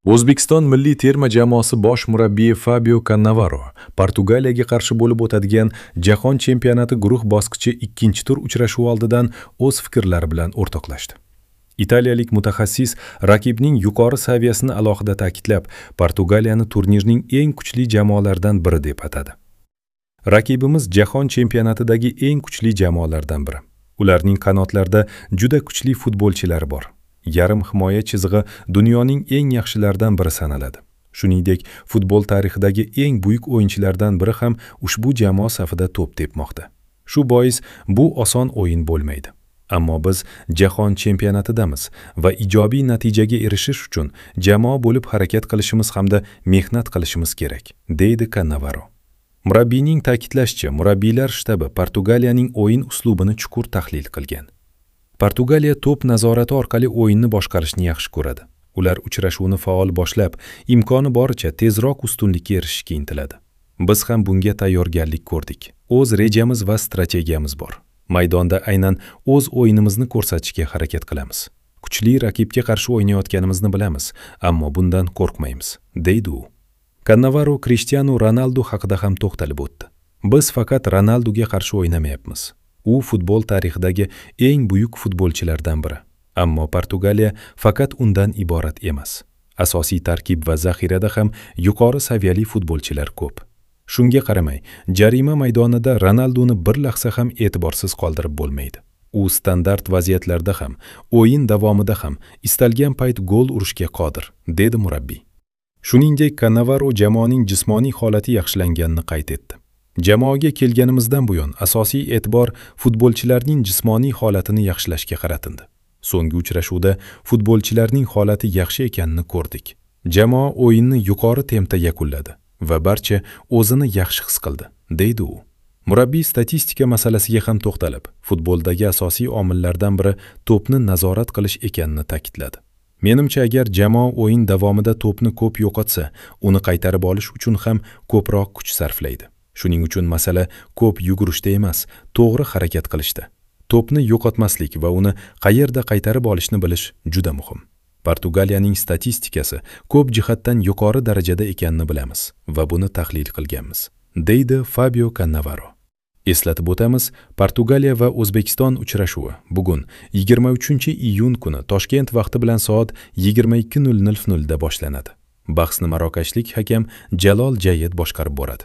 O'zbekiston milliy terma jamoasi bosh murabbiyi Fabio Cannavaro Portugaliyaga qarshi bo'lib o'tadigan Jahon chempionati guruh bosqichi ikkinchi tur uchrashuvi oldidan o'z fikrlari bilan o'rtoqlashdi. Italiyalik mutaxassis raqibning yuqori saviyasini alohida ta'kidlab, Portugaliyani turnirning eng kuchli jamoalaridan biri deb atadi. Raqibimiz jahon chempionatidagi eng kuchli jamoalardan biri. Ularning qanotlarida juda kuchli futbolchilari bor. Yarim himoya chizig'i dunyoning eng yaxshilaridan biri sanaladi. Shuningdek, futbol tarixidagi eng buyuk o'yinchilardan biri ham ushbu jamoa safida to'p tepmoqda. Shu bois bu oson o'yin bo'lmaydi. Ammo biz jahon chempionatidamiz va ijobiy natijaga erishish uchun jamoa bo'lib harakat qilishimiz hamda mehnat qilishimiz kerak, deydi Cannavaro. Murabbiyning ta'kidlashicha, murabbiylar shtabi Portugaliyaning o'yin uslubini chuqur tahlil qilgan. Portugaliya to'p nazorati orqali o'yinni boshqarishni yaxshi ko'radi. Ular uchrashuvni faol boshlab, imkoni boricha tezroq ustunlikka erishishga intiladi. Biz ham bunga tayyorgarlik ko'rdik. O'z rejamiz va strategiyamiz bor. Maydonda aynan o'z o'yinimizni ko'rsatishga harakat qilamiz. Kuchli raqibga qarshi o'ynayotganimizni bilamiz, ammo bundan qo'rqmaymiz, deydi u. Cannavaro Cristiano Ronaldo haqida ham to'xtalib o'tdi. Biz faqat Ronaldoga qarshi o'ynamayapmiz. U futbol tarixidagi eng buyuk futbolchilardan biri. Ammo Portugaliya faqat undan iborat emas. Asosiy tarkib va zaxirada ham yuqori saviyali futbolchilar ko'p. Shunga qaramay, jarima maydonida Ronaldoni bir lahza ham e'tiborsiz qoldirib bo'lmaydi. U standart vaziyatlarda ham, o'yin davomida ham istalgan payt gol urishga qodir, dedi murabbiy. Shuningdek, Cannavaro jamoaning jismoniy holati yaxshilanganini qayd etdi. Jamoaga kelganimizdan buyon asosiy e'tibor futbolchilarning jismoniy holatini yaxshilashga qaratildi. So'nggi uchrashuvda futbolchilarning holati yaxshi ekanini ko'rdik. Jamoa o'yinni yuqori tempda yakunladi va barcha o'zini yaxshi his qildi, deydi u. Murabbiy statistika masalasiga ham to'xtalib, futboldagi asosiy omillardan biri to'pni nazorat qilish ekanini ta'kidladi. Menimcha, agar jamoa o'yin davomida to'pni ko'p yo'qotsa, uni qaytarib olish uchun ham ko'proq kuch sarflaydi. Shuning uchun masala ko'p yugurishda emas, to'g'ri harakat qilishda. To'pni yo'qotmaslik va uni qayerda qaytarib olishni bilish juda muhim. Portugaliyaning statistikasi ko'p jihatdan yuqori darajada ekanini bilamiz va buni tahlil qilganmiz, deydi Fabio Cannavaro. Eslatib o'tamiz, Portugaliya va O'zbekiston uchrashuvi bugun 23-iyun kuni Toshkent vaqti bilan soat 22:00 da boshlanadi. Bahsni marokashlik hakam Jalol Jayed boshqarib boradi.